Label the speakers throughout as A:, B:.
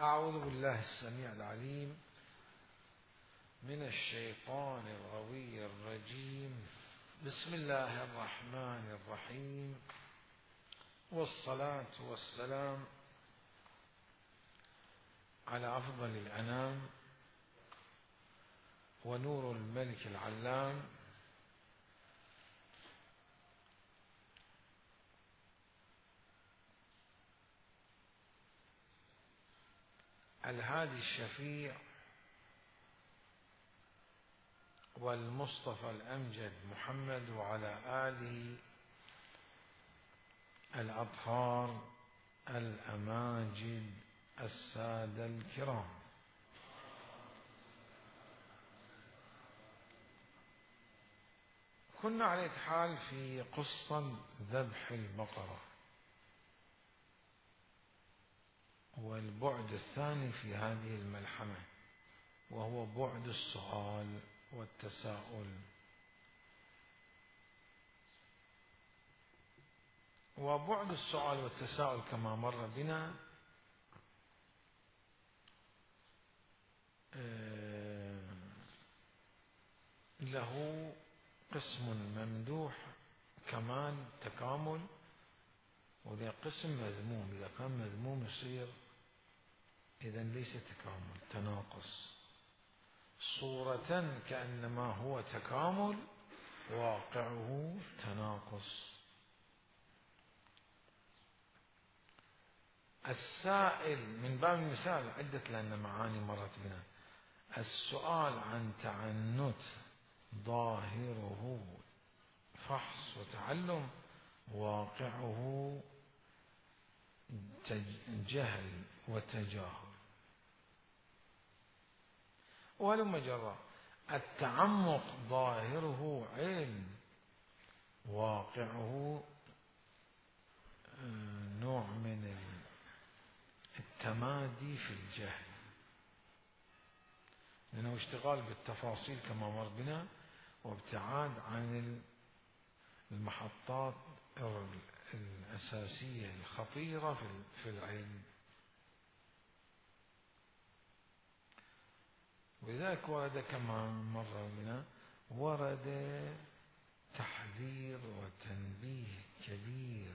A: أعوذ بالله السميع العليم من الشيطان الغوي الرجيم. بسم الله الرحمن الرحيم، والصلاة والسلام على أفضل الأنام ونور الملك العلام الهادي الشفيع والمصطفى الأمجد محمد، وعلى آله الأطهار الأماجد السادة الكرام. كنا على حال في قصة ذبح البقرة، والبعد الثاني في هذه الملحمة وهو بعد السؤال والتساؤل. وبعد السؤال والتساؤل كما مر بنا له قسم ممدوح كمال تكامل، وذا قسم مذموم. إذا كان مذموم يصير إذا ليس تكامل، تناقص. صورة كأنما هو تكامل، واقعه تناقص. السائل من باب المثال عدة، لأن معاني مرت بنا. السؤال عن تعنت ظاهره فحص وتعلم، واقعه جهل وتجاهل. ولما جرى التعمق ظاهره علم، واقعه نوع من التمادي في الجهل، لأنه اشتغال بالتفاصيل كما مر بنا، وابتعاد عن المحطات الأساسية الخطيرة في العلم. ولذلك ورد كما مر بنا، ورد تحذير وتنبيه كبير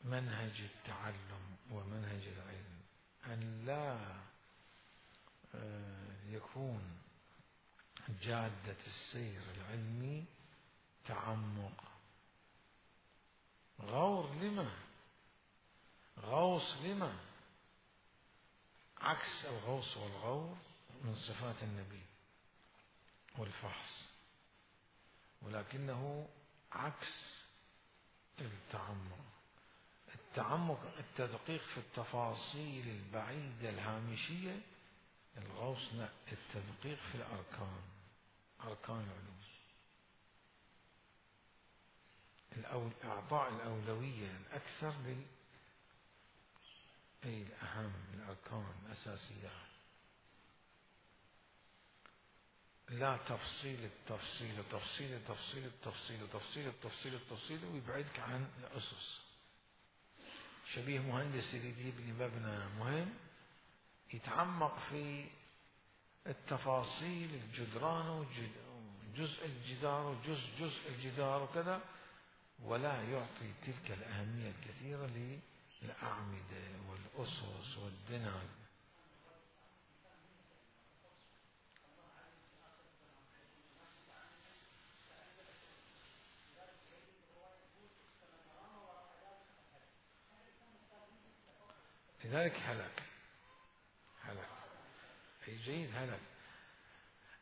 A: للمنهج التعلم ومنهج العلم، أن لا يكون جادة السير العلمي تعمق. غور لما؟ غوص لما؟ عكس الغوص والغور من صفات النبي والفحص، ولكنه عكس التعمق. التعمق التدقيق في التفاصيل البعيدة الهامشية، الغوص لا، التدقيق في الأركان، أركان العلوم، إعطاء الأولوية الأكثر الأهم، الأركان الأساسيات، لا تفصيل التفصيل تفصيل التفصيل التفصيل تفصيل التفصيل التفصيل، ويبعدك عن الأسس. شبيه مهندس يجيب لي مبنى مهم، يتعمق في التفاصيل، الجدران وجزء الجدار وجزء الجدار وكذا، ولا يعطي تلك الأهمية الكثيرة للأعمدة والأسس والبناء. لذلك هلك أي جيد هلك،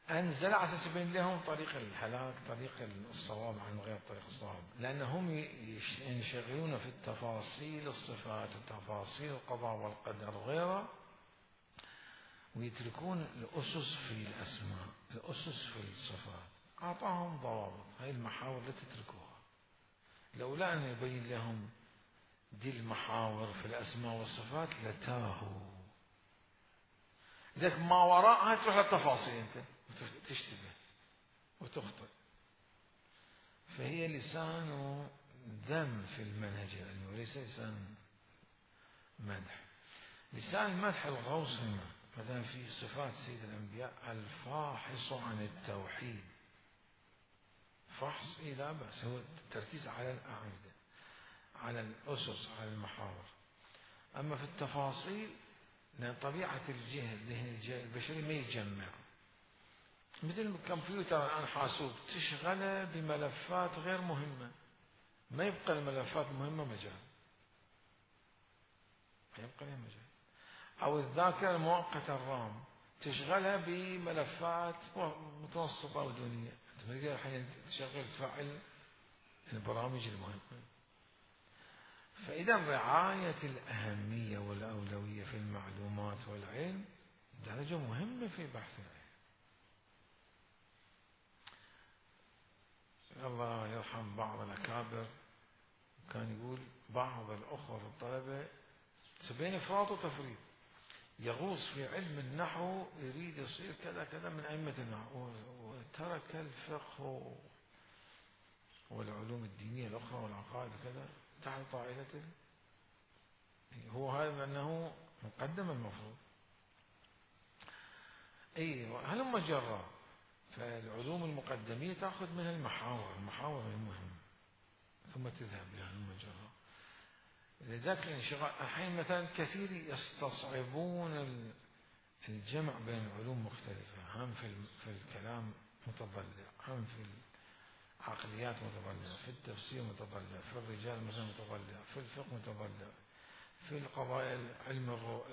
A: أنزل على أساس يبين لهم طريق الهلاك، طريق الصواب عن غير طريق الصواب، لأنهم ينشغلون في التفاصيل الصفات وتفاصيل القضاء والقدر وغيره، ويتركون الأسس في الأسماء، الأسس في الصفات. أعطاهم ضوابط، هاي المحاور لا تتركوها. لولا أن يبين لهم دي المحاور في الأسماء والصفات لتاهوا. لذلك ما وراءها تروح للتفاصيل، أنت تشتبه وتخطئ. فهي لسان ذم في المنهج العلمي وليس لسان مدح. لسان المدح الغوصي مثلا في صفات سيد الأنبياء الفاحص عن التوحيد، فحص لا بأس، هو التركيز على الأعمدة، على الأسس، على المحاور. أما في التفاصيل لأن طبيعة الذهن البشري ما يتجمع، مثل الكمبيوتر الآن حاسوب تشغله بملفات غير مهمة، ما يبقى الملفات المهمة مجال، ما يبقى لها مجال. أو الذاكرة المؤقتة الرام تشغلها بملفات متوسطة ودونية، تقدر الحين تشغل تفعل البرامج المهمة. فإذا رعاية الأهمية والأولوية في المعلومات والعلم درجة مهمة في بحث العلم. الله يرحم بعض الأكابر كان يقول بعض الأخوة في الطلبة بين إفراط وتفريط، يغوص في علم النحو يريد يصير كذا كذا من أئمة النحو، وترك الفقه والعلوم الدينية الأخرى والعقائد وكذا تحت طائلته. هو هذا أنه مقدم المفروض. هلم جرى. فالعلوم المقدمية تأخذ منها المحاور المهمة ثم تذهب لها هلم جرى. لذلك الانشغال الحين مثلا كثير يستصعبون الجمع بين العلوم مختلفة، هم في الكلام متضلع، هم في العقليات متضلع، في التفسير متضلع، في الرجال مثلا متضلع، في الفقه متضلع، في القضايا علم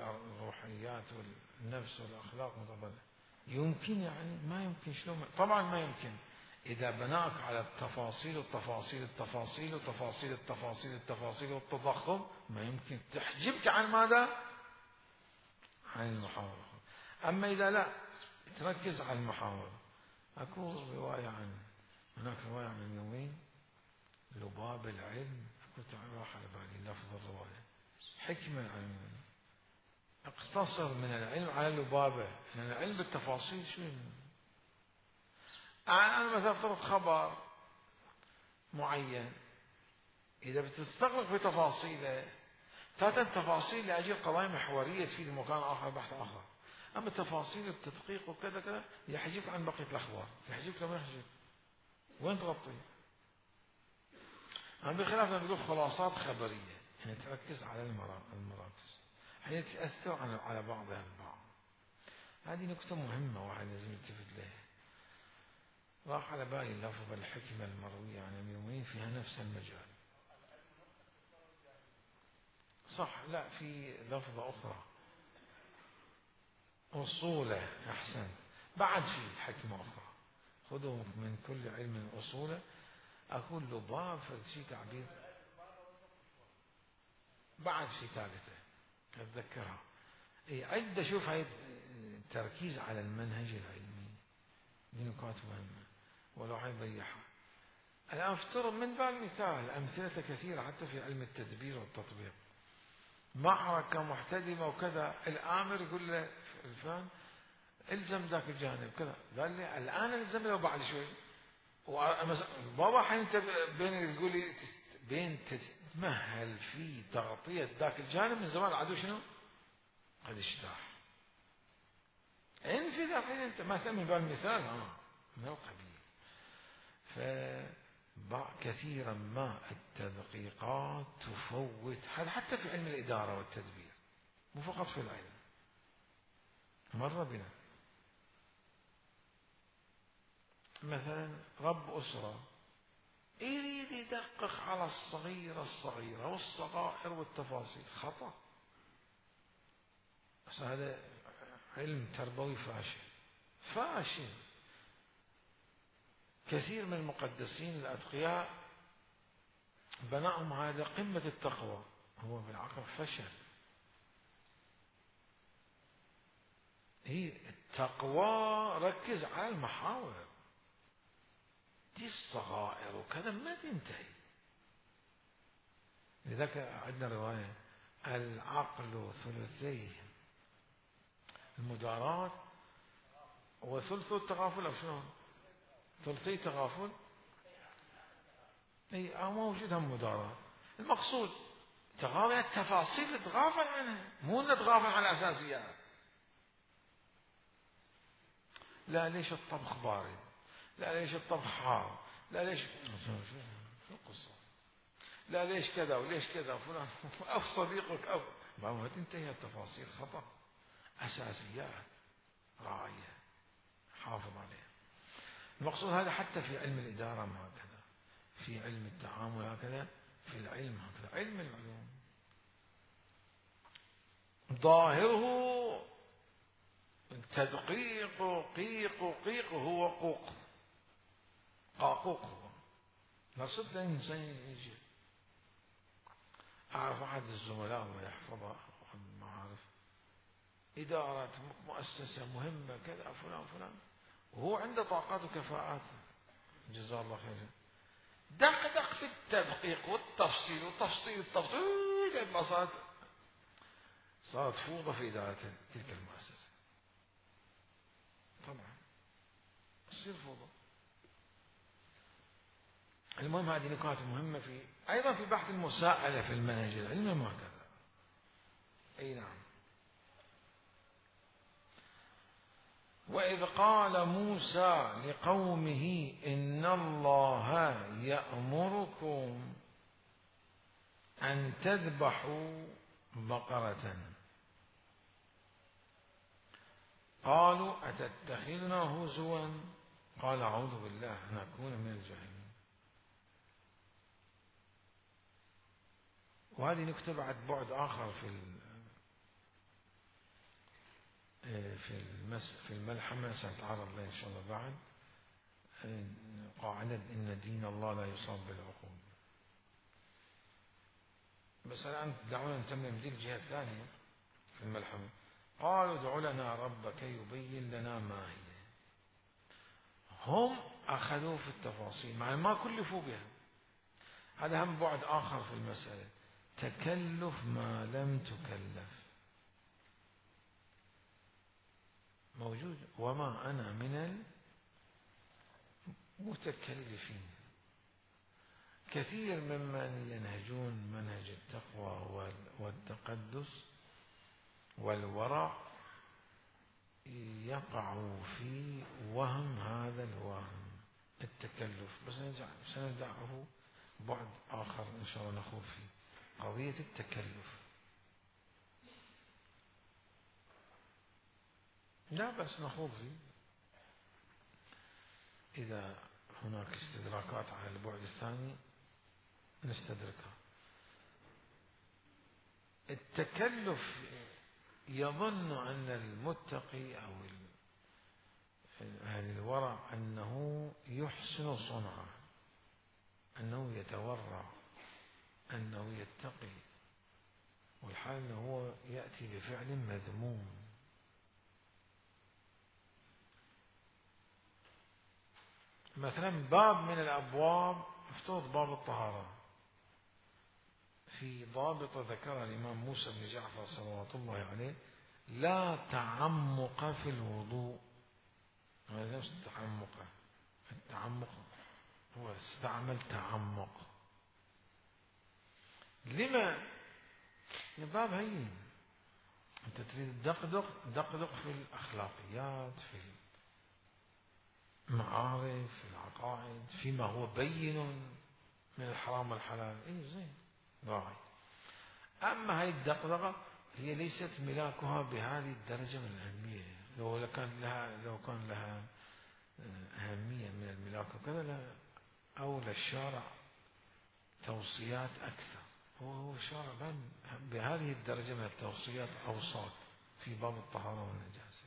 A: الروحيات والنفس والأخلاق متضلع. يمكن يعني ما يمكن، شلون؟ طبعا ما يمكن إذا بناك على التفاصيل والتفاصيل التفاصيل وتفاصيل التفاصيل التفاصيل والتضخم، ما يمكن تحجبك عن ماذا؟ عن المحاورة. أما إذا لا تركز على المحاورة. أكو رواية هناك رواية من يومين لباب العلم، كنت راح على بالي لفظ الرواية، حكمة العلم، اقتصر من العلم على لبابه، لأن العلم بالتفاصيل شو أنا مثلا افترض خبر معين، إذا بتستغرق في تفاصيله تأتي التفاصيل لأجل قضايا محورية تفيد مكان آخر بحث آخر. أما تفاصيل التدقيق وكذا كذا يحجبك عن بقية الأخبار، يحجبك لما يحجب وين تغطي. أما بخلاف لما نقول خلاصات خبرية يعني تركز على المراكز حين تأثر على بعضها البعض. هذه نقطة مهمة واحد لازم يلتفت لها. راح على بالي لفظ الحكمة المروية عن اليومين فيها نفس المجال. صح، لا في لفظة أخرى أصوله، أحسن، بعد في حكمة أخرى، خذوا من كل علم أصوله. أقول لباب فشي تعبير بعد في ثالثة أتذكرها. عدة. شوف هاي التركيز على المنهج العلمي دي نقاط مهمة ولو هاي ضيعها. الآن افترض من باب المثال أمثلة كثيرة حتى في علم التدبير والتطبيق، معركة محتدمة وكذا، الآمر يقول له الفلان الزم ذاك الجانب كذا، قال لي الآن الزم له بعد شوي. بابا حين انت بين تقول لي بين تتمهل في تغطية ذاك الجانب من زمان العدو شنو؟ قد اجتاح. في ذاك انت ما تأمن بالمثال من القبيل. كثيرا ما التدقيقات تفوت هذا حتى في علم الإدارة والتدبير، مو فقط في العلم. مر بنا مثلا رب أسرة يريد يدقق على الصغيرة والصغائر والتفاصيل، خطأ. بس هذا علم تربوي فاشل. كثير من المقدسين الأتقياء بناهم هذا قمة التقوى، هو بالعقل فشل. هي التقوى ركز على المحاور دي، الصغائر وكذا ما تنتهي. لذلك عندنا رواية العقل ثلثي المداراة وثلث التغافل، أو شنو؟ ثلثي تغافل اي موجود هم مداراة. المقصود تغافل التفاصيل، تغافل عنها، مو نتغافل عن الأساسيات. لا ليش الطبخ بارد، لا ليش الطبخ حار، لا ليش شو القصة، لا ليش كذا وليش كذا فلان أو صديقك أو ما تنتهي التفاصيل. خطأ. أساسيات راعية حافظ عليها. المقصود هذا حتى في علم الإدارة ما هكذا، في علم التعامل هكذا، في العلم هكذا. علم العلوم ظاهره تدقيق قيق هو قوق قاقوق هو. نصد إنسان يجي. أعرف أحد الزملاء الله يحفظه المعارف، إدارة مؤسسة مهمة كذا فلان فلان، وهو عنده طاقات وكفاءات جزاه الله خيرا، دقدق في التدقيق والتفصيل وتفصيل التفصيل لما صارت فوضى في إدارة تلك المؤسسة. طبعا تصير فوضى. المهم هذه نقاط مهمة في أيضا في بحث المساءلة في المنهج العلمي وهكذا. أي نعم. وإذ قال موسى لقومه إن الله يأمركم أن تذبحوا بقرة قالوا أتتخذنا هزوا قال أعوذ بالله أن أكون من الجاهلين. وهذه نكتة بعد آخر في الملحمة سنتعرض له إن شاء الله بعد. قاعدة إن دين الله لا يصاب بالعقول. بس الآن دعونا نتمم دي الجهة الثانية في الملحمة. قالوا ادع لنا ربك يبين لنا ما هي. هم أخذوا في التفاصيل مع ما كلفوا بها. هذا هم بعد آخر في المسألة، تكلف ما لم تكلف موجود. وما أنا من المتكلفين. كثير ممن ينهجون منهج التقوى والتقدس والورع يقعوا في وهم هذا الوهم التكلف. بس سندعه بعد آخر إن شاء الله نخوض فيه قضية التكلف. لا بس نخوض فيه إذا هناك استدراكات على البعد الثاني نستدركها. التكلف يظن أن المتقي أو أهل الورع أنه يحسن صنعه، أنه يتورع، أنه يتقي، والحال أنه هو يأتي بفعل مذموم. مثلا باب من الأبواب افترض باب الطهارة، في ضابط ذكرها الإمام موسى بن جعفر صلوات الله عليه: لا تعمق في الوضوء. هذا نفس التعمق هو استعمل تعمق. لما؟ الباب هين، أنت تريد دقدق في الأخلاقيات، في المعارف، في العقائد، فيما هو بين من الحرام والحلال. إيه زين راعي. أما هاي الدقدقة هي ليست ملاكها بهذه الدرجة من الأهمية. لو كان لها أهمية من الملاك وكذا أولى الشارع توصيات أكثر. هو الشارع بهذه الدرجة من التوصيات أوصاك في باب الطهارة والنجاسة.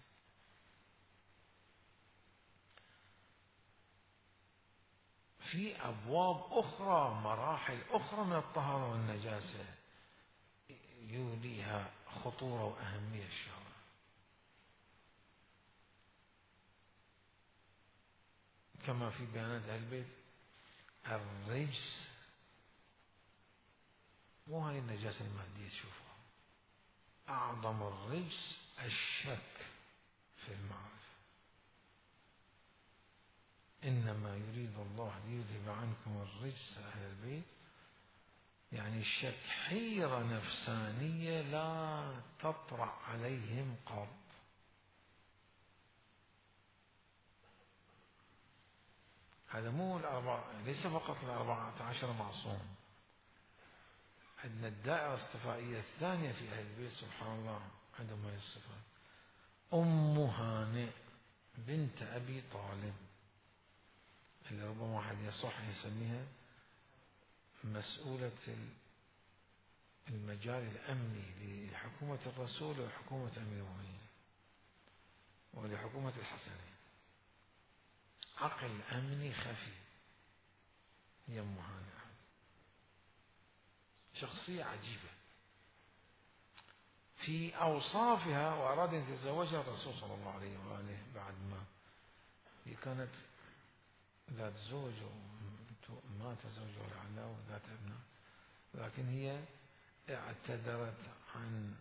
A: في أبواب أخرى، مراحل أخرى من الطهارة والنجاسة يوليها خطورة وأهمية الشارع. كما في بيانات أهل البيت: الرجس، مو هاي النجاسة المادية تشوفها، أعظم الرجس الشك في المعرفة. إنما يريد الله ليذهب عنكم الرجس أهل البيت، يعني حيرة نفسانية لا تطرأ عليهم قط. هذا مو ليس فقط 14 معصوم، عندنا الدائرة الصفائية الثانية في أهل البيت سبحان الله عندهم هذه الصفات. أم هانئ بنت أبي طالب، اللي ربما واحد يصح يسميها مسؤولة المجال الأمني لحكومة الرسول وحكومة أمير المؤمنين ولحكومة الحسنين، عقل أمني خفي. هي أم هانئ شخصية عجيبة في أوصافها، وأراد أن يتزوجها الرسول صلى الله عليه وآله بعد ما هي كانت ذات زوج ومات زوجها لعله وذات ابناء، لكن هي اعتذرت عن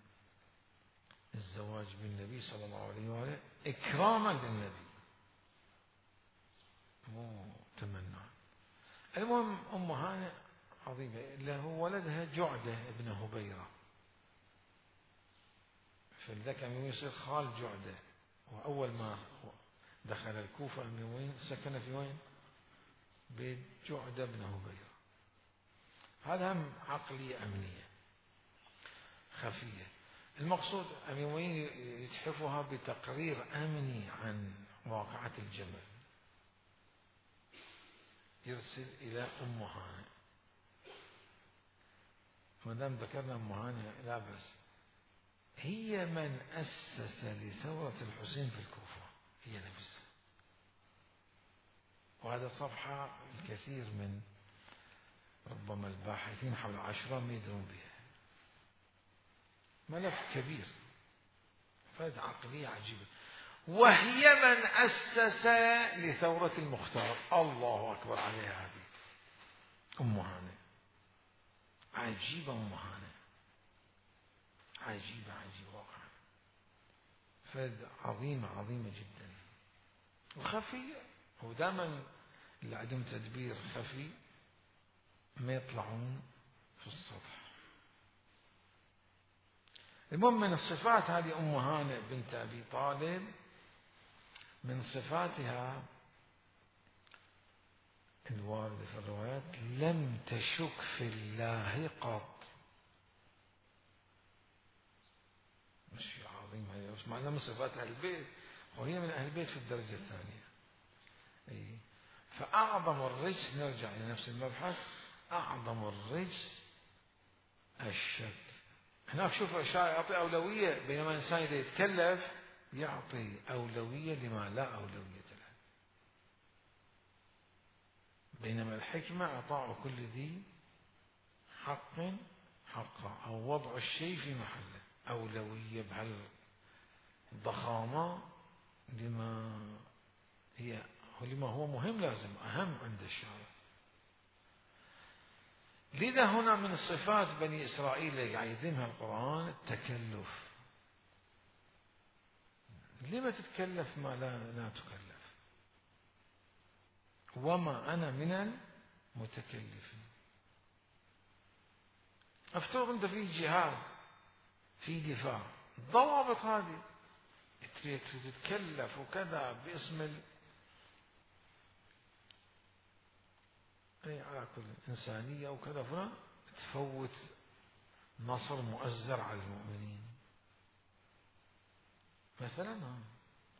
A: الزواج بالنبي صلى الله عليه وآله إكراما للنبي مو تمنى. المهم أم هانئ عظيمة، له ولدها جعدة ابن هبيرة، فلذلك أمير يصير خال جعدة، وأول ما دخل الكوفة أمير المؤمنين سكن في وين؟ بيت جعدة بن هبيرة. هذا هم عقلية أمنية خفية. المقصود أمير المؤمنين يتحفها بتقرير أمني عن واقعة الجمل، يرسل إلى أم هانئ. ما دام ذكرنا أم هانئ لا بس، هي من أسس لثورة الحسين في الكوفة، هي نفسها. وهذا صفحة الكثير من ربما الباحثين حول العاشوراء ما يدرون بها، ملف كبير، فهذه عقلية عجيبة. وهي من أسس لثورة المختار، الله أكبر عليها هذه أم هانئ، عجيبة أم هانئ، عجيبة واقعا، فد عظيمة جدا وخفية. ودائما اللي عندهم تدبير خفي ما يطلعون في السطح. المهم من الصفات هذه أم هانئ بنت أبي طالب، من صفاتها الواردة في الروايات لم تشك في الله قط. مش عظيم هي، مش معناه من صفات أهل البيت، وهي من أهل البيت في الدرجة الثانية. فأعظم الرجس، نرجع لنفس المبحث، أعظم الرجس الشك. هناك شوف أشياء يعطي أولوية، بينما الإنسان إذا يتكلف يعطي أولوية لما لا أولوية له، بينما الحكمة إعطاء كل ذي حق حقه، أو وضع الشيء في محله، أولوية بهالضخامة لما هو مهم، لازم أهم عند الشارع. لذا هنا من صفات بني إسرائيل اللي يعيدمها القرآن التكلف. لما تتكلف ما لا تكلف؟ وما أنا من المتكلفين. افترض أنت في جهاد، في دفاع، ضوابط هذه تريد تتكلف وكذا باسم على كل إنسانية وكذا، فلان تفوت نصر مؤزر على المؤمنين مثلا.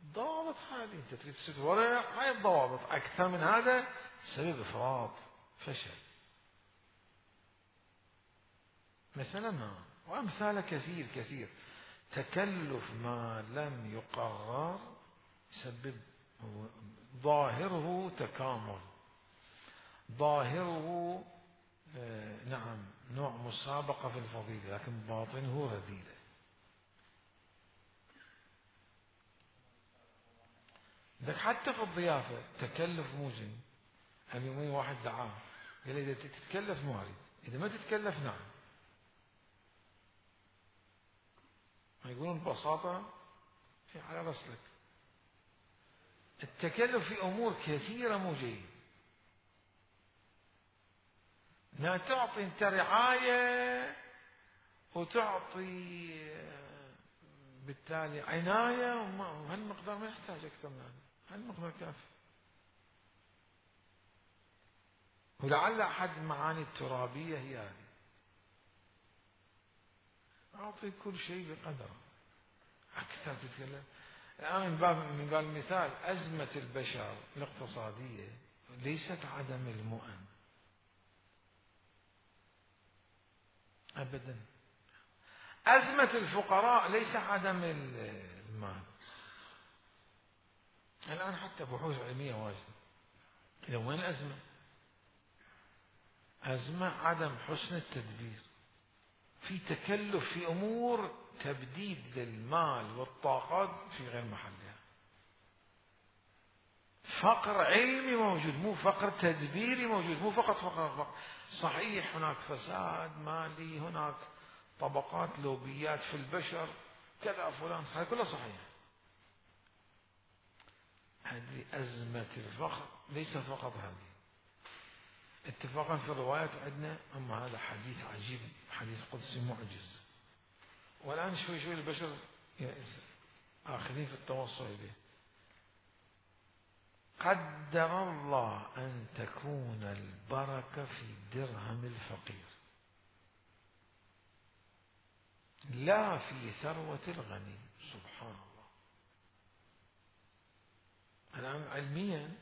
A: ضوابط هذه أنت تريد تسد وراء هاي الضوابط، أكثر من هذا سبب إفراط فشل مثلا. وأمثال كثير. تكلف ما لم يقرر يسبب ظاهره تكامل، ظاهره نعم نوع مسابقة في الفضيلة، لكن باطنه رذيلة. لذلك حتى في الضيافة تكلف موزن. هم يومين واحد دعاه قال إذا تتكلف ما أريد، إذا ما تتكلف نعم. ما يقولون ببساطة على رسلك. التكلف في أمور كثيرة مو جيد. لا تعطي أنت رعاية وتعطي بالتالي عناية، وهالمقدار ما يحتاج أكثر من هذا، هالمقدار كافي. ولعل أحد المعاني الترابية هي هذه، أعطي كل شيء بقدره. أكثر تتكلم الآن من باب المثال، أزمة البشر الاقتصادية ليست عدم المؤن أبدا. أزمة الفقراء ليس عدم المال. الآن حتى بحوث علمية واجدة، إذا وين الأزمة؟ أزمة عدم حسن التدبير، في تكلف في أمور تبديد للمال والطاقات في غير محلها. فقر علمي موجود، مو فقر تدبيري موجود، مو فقط فقر. صحيح هناك فساد مالي، هناك طبقات لوبيات في البشر كذا فلان، هذا كله صحيح. هذه أزمة الفقر ليست فقط هذه. اتفاقا في الروايات عندنا، أما هذا حديث عجيب، حديث قدسي معجز، والآن شوي شوي البشر آخذين في التوصل إليه. قدر الله أن تكون البركة في درهم الفقير لا في ثروة الغني. سبحان الله. الآن علميا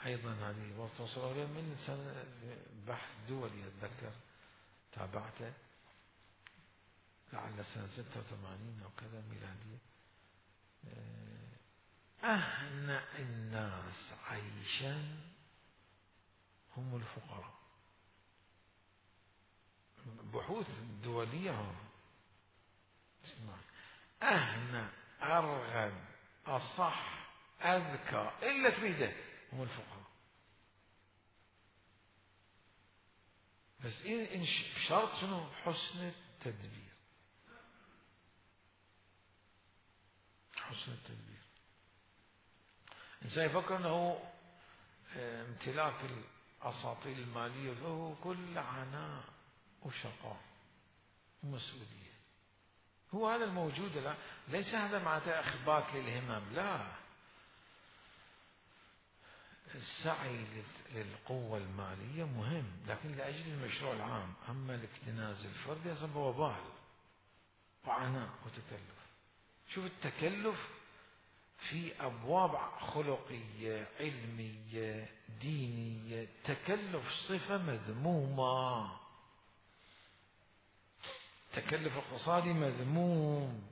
A: أيضا هذه وصلوا إليه من سنة بحث دولي أتذكر تابعته، لعل سنة 86 أو كذا ميلادية. أهنأ الناس عيشا هم الفقراء. بحوث دولية. اسمع، أهنأ أرغب أصح أذكى إلا تريده هم الفقراء. بس إن شرط شنو؟ حسن التدبير. حسن التدبير. الإنسان يفكر أنه امتلاك الأساطيل المالية فهو كل عناء وشقاء ومسؤولية. هو هذا الموجود. لا، ليس هذا معناته إخبات للهمم، لا. السعي للقوة المالية مهم، لكن لأجل المشروع العام. أما الاكتناز الفردي يصب وبال وعناء وتكلف. شوف التكلف في أبواب خلقية علمية دينية، تكلف صفة مذمومة، تكلف اقتصادي مذموم.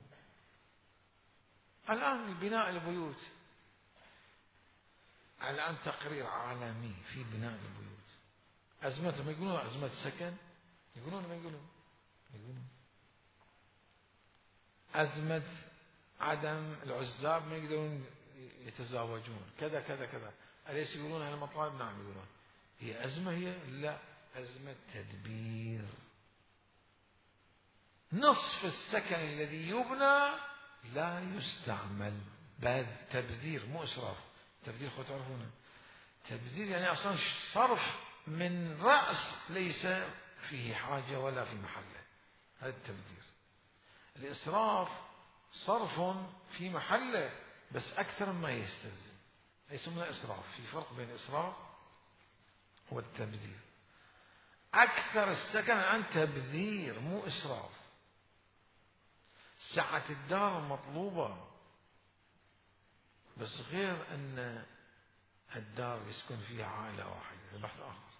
A: الآن بناء البيوت، الآن تقرير عالمي في بناء البيوت. أزمة، ما يقولون أزمة سكن، يقولون ما يقولون أزمة عدم العزاب ما يقدرون يتزاوجون كذا كذا كذا. أليس يقولون هالمطالب؟ نعم يقولون. هي أزمة؟ هي لا، أزمة تدبير. نصف السكن الذي يبنى لا يستعمل، بل تبذير مو إسراف. تبذير خذ تعرفونه، تبذير يعني أصلا صرف من رأس ليس فيه حاجة ولا في محله، هذا التبذير. الإسراف صرف في محله بس أكثر مما يستلزم، يسمونه إسراف. في فرق بين الإسراف والتبذير. أكثر السكن الآن تبذير مو إسراف. سعة الدار مطلوبة، بس غير أن الدار يسكن فيها عائلة واحدة، بحث آخر.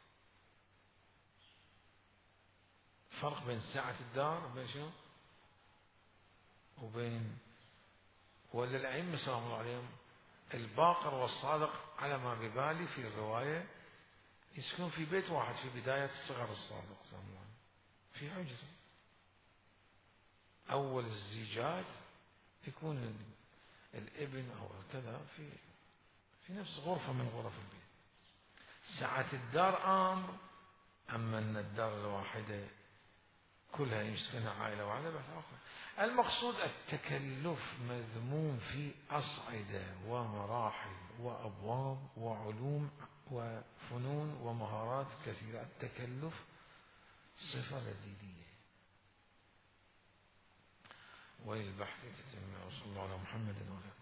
A: فرق بين سعة الدار وبين شنو؟ وبين ولا الأئمة سلام الله عليهم الباقر والصادق على ما ببالي في الرواية يسكن في بيت واحد في بداية صغر الصادق سلام الله عليه، في حجرة. أول الزيجات يكون الابن أو كذا في نفس غرفة من غرف البيت. سعة الدار أمر، أما أن الدار الواحدة كلها يمسكنها عائلة واحدة بحث آخر. المقصود التكلف مذموم في أصعدة ومراحل وأبواب وعلوم وفنون ومهارات كثيرة. التكلف صفة لديدية. وللبحث تتم. وصلى الله على محمد وعلى